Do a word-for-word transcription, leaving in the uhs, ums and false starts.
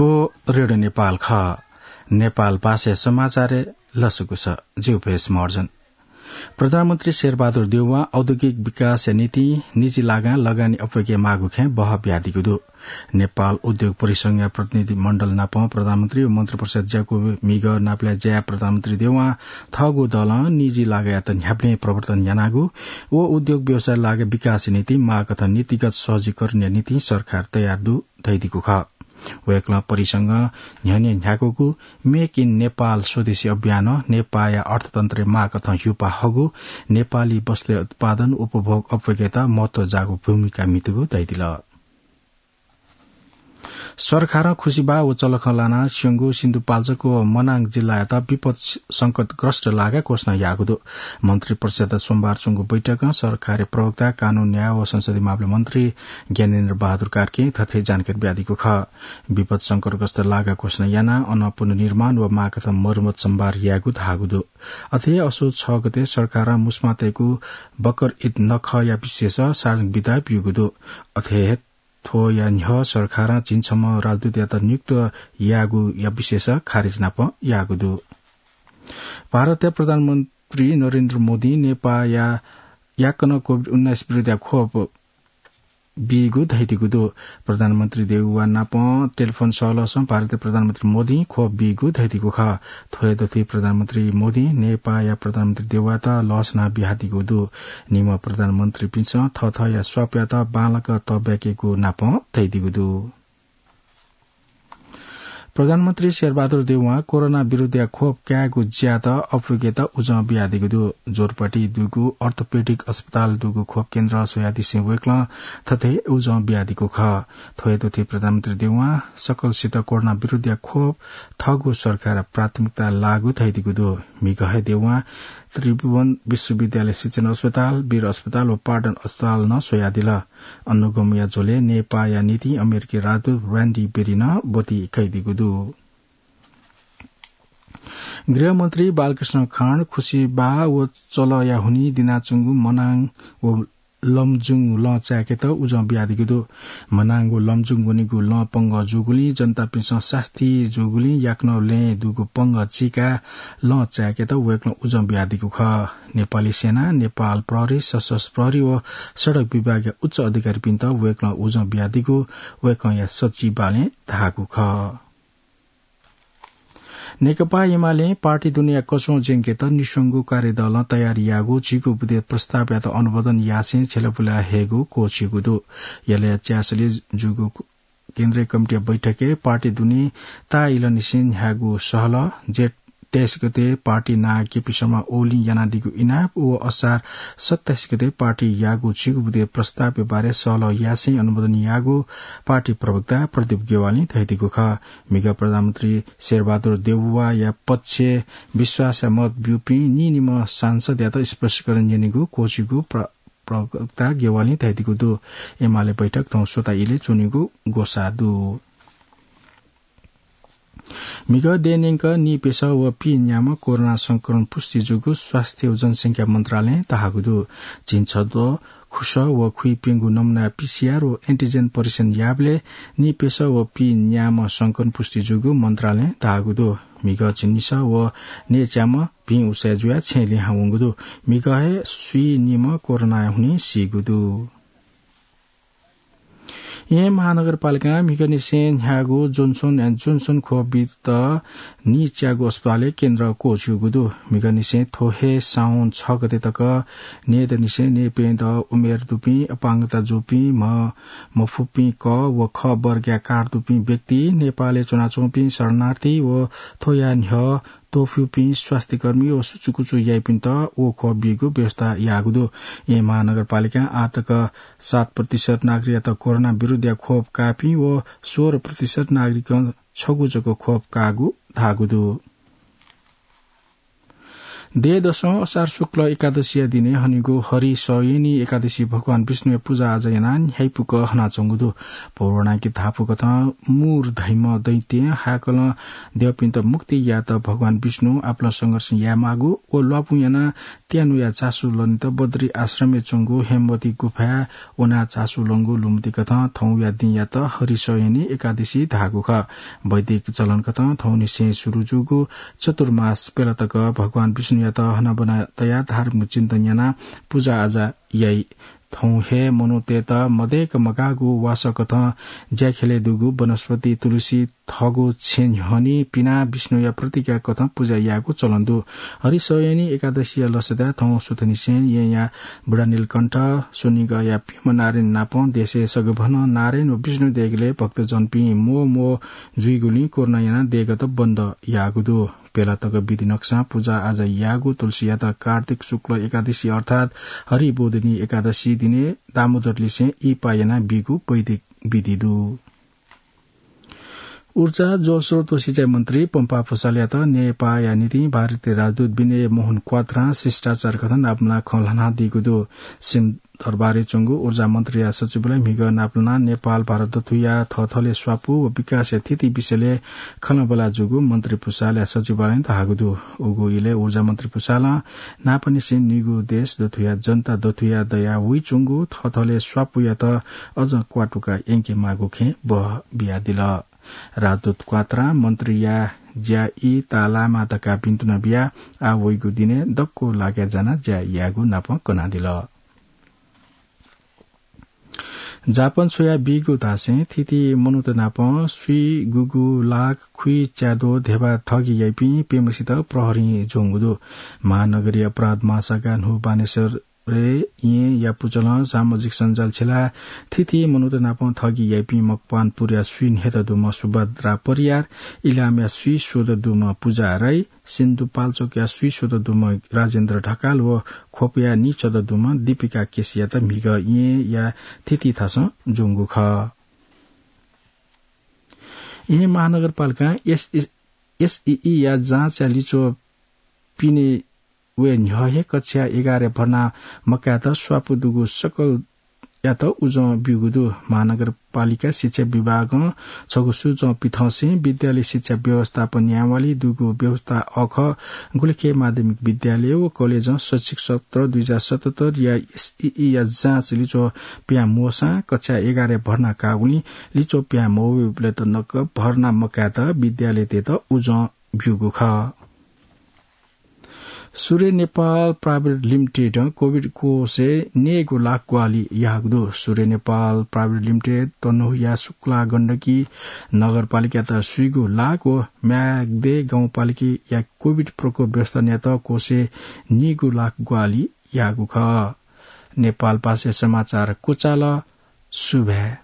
रेडियो नेपाल खः। नेपाल भाषा समाचार लसकुस। जिउ भेष महर्जन। प्रधानमन्त्री शेरबहादुर देउवां औद्योगिक विकासया निंतिं निजी लागां लगानी अप्वय्के माःगु खँय् बहः बियादीगु दु। नेपाल उद्योग परिसंघया प्रतिनिधि मण्डल नाप प्रधानमन्त्री व मन्त्रिपरिषद ज्याकू म्हिगः नापलाये ज्याय् प्रधानमन्त्री देउवां थःगु दलं निजी लागायात न्ह्याबलें प्रवर्तन यानागु व उद्योग व्यवसाय लागा विकासया निंतिं माःकथं नीतिगत सहजीकरणया निंतिं सरकार तयार दु धयादीगु खः। वय्कलं परिसंघं न्ह्यःने न्ह्याकूगु Make in Nepal स्वदेशी अभियानं नेपाःया अर्थतन्त्रय् माःकथं ह्युपा हःगु नेपाली वस्तुया उत्पादन उपभोग अप्वय्केत महत्व जाःगु भूमिका म्हितूगु धयादिल। सरकारं खुसिबाः व चलखं लानाः स्यंगु सिन्धुपाल्चोक व मनाङ जिल्लायात विपद संकटग्रस्त लागा घोषणा याःगु दु। मन्त्रिपरिषदया सोमबार च्वंगु बैठकं सरकारया प्रवक्ता, कानून, न्याय व संसदीय मामला मन्त्री ज्ञानेन्द्र बहादुर कार्कीं थथे जानकारी बियादीगु खः। विपद संकटग्रस्त लागा घोषणा यानाः अन पुनर्निर्माण व माःकथं मर्मत सम्भार यायेगु धाःगु दु। अथे हे असोज छ गते सरकारं मुस्मातय्कू बकर ईद नखःया विषयस सार्वजनिक बिदा ब्यूगु दु। अथे हे थ्वया न्ह्यः सरकारं झिंछम्ह राजदूतयात नियुक्त याःगुया विषयस खारेज नाप याःगु दु। भारतया प्रधानमन्त्री नरेन्द्र मोदीं नेपाःया याकनं कोभिड उन्नाइस विरुद्धया खोप बीगु धयादीगु दु। प्रधानमन्त्री देउवा नाप टेलिफोन सहलहसं भारतया प्रधानमन्त्री मोदीं खोप बीगु धयादीगु खः। थ्व हे दथुइ प्रधानमन्त्री मोदीं नेपाःया प्रधानमन्त्री देउवायात लस नं बियादीगु दु। निम्ह प्रधानमन्त्रीपिन्सं थःथःया स्वापयात बांलाक तःब्याकेगु नाप धयादीगु दु। प्रधानमन्त्री शेरबहादुर देउवां कोरोना विरुद्धया खोप कायेगु ज्यायात अप्वय्केत उजं बियादीगु दु। जोरपाटी दुगु अर्थोपेडिक अस्पताल दुगु खोप केन्द्र स्वयादिसें वय्कलं थथे उजं बियादीगु खः। थ्व हे दथुइ प्रधानमन्त्री देउवां सकलसित कोरोना विरुद्धया खोप थःगु सरकारया प्राथमिकता लाःगु धयादीगु दु। म्हिगः हे देउवां त्रिभुवन विश्वविद्यालय शिक्षण अस्पताल, वीर अस्पताल व पाटन अस्पताल नं स्वयादिल। अनुगमया झ्वलय् नेपाःया निंतिं अमेरिकी राजदूत र्‍यान्डी बेरीनं ब्वति कयादीगु दु। गृहमन्त्री बालकृष्ण खाँड खुसिबाः व चलःया हुनिं दिनाच्वंगु मनाङ व लमजुङ लं चाय्केत उजं बियादीगु दु। मनाङ व लमजुङ वनीगु लं पंगः जूगुलिं जनतापिन्सं सास्ती जूगुलिं याकनं लँय् दुगु पंगः चीकाः लं चाय्केत वय्कलं उजं बियादीगु खः। नेपाली सेना, नेपाल प्रहरी, सशस्त्र प्रहरी व सडक विभागया उच्च अधिकारीपिन्त वय्कलं उजं बियादीगु वय्कःया सचिवालयं धाःगु खः। नेकपा एमालें पार्टी दुनेया कच्वः ज्यंकेत निस्वंगू कार्यदलं तयारी याःगु झिगू बुँदे प्रस्तावयात अनुमोदन यासें झ्यलपुला हयेगु क्वःछिउगु दु। यलया च्यासलय् जूगु केन्द्रीय कमिटीया बैठकय् पार्टी दुने ताःइलंनिसें न्ह्याःगु सहलह, जेठ तेइस गते पार्टी नां केपी शर्मा ओलीं यानादीगु इनाप व असार सत्ताइस गते पार्टी याःगु झिगू बुँदे प्रस्तावया बारे सहलह यासें अनुमोदन याःगु पार्टी प्रवक्ता प्रदीप ज्ञवालीं धयादीगु खः। म्हिगः प्रधानमन्त्री शेरबहादुर देउवाया पक्षय् विश्वासया मत ब्यूपिं नीनिम्ह सांसदयात स्पष्टीकरण न्यनेगु क्वःछिउगु प्र-, प्रवक्ता ज्ञवालीं धयादीगु दु। एमाले बैठक थौं स्वता इलय् च्वनेगु ग्वसाः दु। म्हिगः देय् न्यंक नीप्यसः व पीन्याम्ह कोरोना संक्रमण पुष्टि जूगु स्वास्थ्य व जनसंख्या मन्त्रालयं धाःगु दु। झिंछद्वः खुसः व खुइप्यंगू नमुनाया पीसीआर व एन्टिजेन परीक्षण याःबलय् नीप्यसः व पीन्याम्ह संक्रमण पुष्टि जूगु मन्त्रालयं धाःगु दु। म्हिगः झिंनिसः व न्यय्च्याम्ह भिं उसाँय् जुयाः छेँय् लिहां वंगु दु। म्हिगः हे स्वीनिम्ह कोरोनाया हुनिं सीगु दु। येँ महानगरपालिकां म्हिगःनिसें न्ह्याःगु Johnson and Johnson खोप बीत नीच्यागु अस्पतालय् केन्द्र क्वःछिउगु दु। म्हिगःनिसें थ्व हे साउन छ गते तक न्यय्दनिसें न्यय्प्यदँ उमेर दुपिं, अपाङ्गता जूपिं, म्ह मफुपिं, क व ख वर्गया कार्ड दुपिं व्यक्ति, नेपालय् च्वनाच्वंपिं शरणार्थी व थ्वया न्ह्यः त्वःफिउपिं स्वास्थ्यकर्मी व सुचुकुचु याइपिन्त व खोप बीगु व्यवस्था याःगु दु। येँ महानगरपालिकां आः तक सात प्रतिशत नागरिकयात कोरोना विरुद्धया खोप काःपिं व सोह्र प्रतिशत नागरिकं छगू जक खोप काःगु धाःगु दु। देय् दसं असार शुक्ल एकादशीया दिने हनीगु हरिशयनी एकादशी भगवान विष्णुया पुजा आजा यानाः न्ह्याइपुक हनाच्वंगु दु। पौराणिक धापू कथं मूर धइम्ह दैत्यं हाकलं द्यःपिन्त मुक्ति यायेत भगवान विष्णु आपालं संघर्ष यायेमाःगु व ल्वापुं यानाः त्यानुया झासु लनेत बद्री आश्रमय् च्वंगु हेमवती गुफाय् वनाः झासु लंगु लुमति कथं थौंया दिंयात हरिशयनी एकादशी धाःगु खः। वैदिक चलन कथं थौंनिसें सुरु जूगु चतुर्मास प्यला तक भगवान विष्णुयात हनाबना तयाः धार्मिक चिन्तन यानाः पुजा आजा याइ। थौं हे मनूतय्त मदय्क मगाःगु वासः कथं ज्याख्यलय् दुगु वनस्पति, तुलसी, थःगु छेँ न्ह्यःने पिनाः विष्णुया प्रतिज्ञा कथं पुजा यायेगु चलन दु। हरिशयनी एकादशीया लसताय् थौं सुथंनिसें येँया बुढा नीलकण्ठ, स्वनिगःया प्यम्ह नारायण नापं देशय् सगभनं नारायण व विष्णु देगलय् भक्तजनपिं म्वः म्वः जुइगुलिं कोरोना यानाः देगःत बन्द याःगु दु। प्यला तक विधि नकसां पुजा आजा याःगु तुलसीयात कार्तिक शुक्ल एकादशी अर्थात् हरिबोधिनी एकादशी दिने दामोदरलिसें इहिपा यानाः बीगु वैदिक विधि दु। ऊर्जा, जलस्रोत व सिँचाइ मन्त्री पम्पा भुसालयात नेपाःया निंतिं भारतीय राजदूत विनय मोहन क्वात्रां शिष्टाचार कथं नापलानाः खँ ल्हानादीगु दु। सिंहदरबारय् च्वंगु ऊर्जा मन्त्रीया सचिवालयं म्हिगः नापलानाः नेपाल भारत दथुया थःथलय् स्वापू व विकासया थिति विषयलय् खँल्हाबल्हा जूगु मन्त्री भुसालया सचिवालयं धाःगु दु। उगु इलय् ऊर्जा मन्त्री भुसालं न्हापांनिसें निगू देश दथुया जनता दथुया दया वइच्वंगु थःथलय् स्वापूयात अझ क्वातुका यंकेमाःगु खँय् बहः बियादिल। राजदूत क्वात्रां मन्त्रीया ज्या ई ताःलायेमा धकाः बिन्ति नं बियाः आः वइगु दिनय् दक्व लागाय् जानाः ज्या यायेगु नापं कनादिल। जापान छ्वया बीगु धासें थीथी मनूत नाप स्वीगुगु लाख खुइच्याद्वः धेबा ठगी याइपिं प्यम्हसित प्रहरीं ज्वंगु दु। महानगरीय अपराध महाशाखा न्हू बानेश्वरय् येँया पुचलं सामाजिक सञ्जाल छिलाः थीथी मनूत नाप ठगी याइपिं मकवानपुरया स्वीन्हय्त दुम्ह सुभद्रा परियार, इलामया स्वीस्वदँ दुम्ह पुजा राई, सिन्धुपाल्चोकया स्वीस्वदँ दुम्ह राजेन्द्र ढकाल व ख्वपया नीस्वदँ दुम्ह दीपिका केसीयात म्हिगः येँया थीथी थासं ज्वंगु खः। येँ महानगरपालिकां एस-, एसईईया जाँचया लिच्वः पिने वये न्ह्यः हे कक्षा एघारय् भर्ना मकायेत स्वापू दुगु सकल यात उजं ब्यूगु दु। महानगरपालिका शिक्षा विभागं छगू सुचं पिथंसें विद्यालय शिक्षा व्यवस्थापन न्यायवाली दुगु व्यवस्था अःखः गुलिखे माध्यमिक विद्यालय व कलेजं शैक्षिक सत्र दुई हजार सतहत्तरया एसईईया जाँच लिच्वः पिहां मवःसां कक्षा एघारय् भर्ना काःगुलिं लिच्वः पिहां मवःबलय् तक भर्ना मकायेत विद्यालयतय्त उजं ब्यूगु खः। सूर्य नेपाल प्राइभेट लिमिटेडं कोभिड कोषय् न्यय्गू लाख ग्वाहालि याःगु दु। सूर्य नेपाल प्राइभेट लिमिटेड तनहुँया शुक्ला गण्डकी नगरपालिकायात स्वीगू लाख व म्याग्दे गाउँपालिकाया कोभिड प्रकोप व्यवस्थापनयात कोषय् नीगू लाख ग्वाहालि याःगु खः। नेपालभाषाय् समाचार क्वचाल। सुभाय्।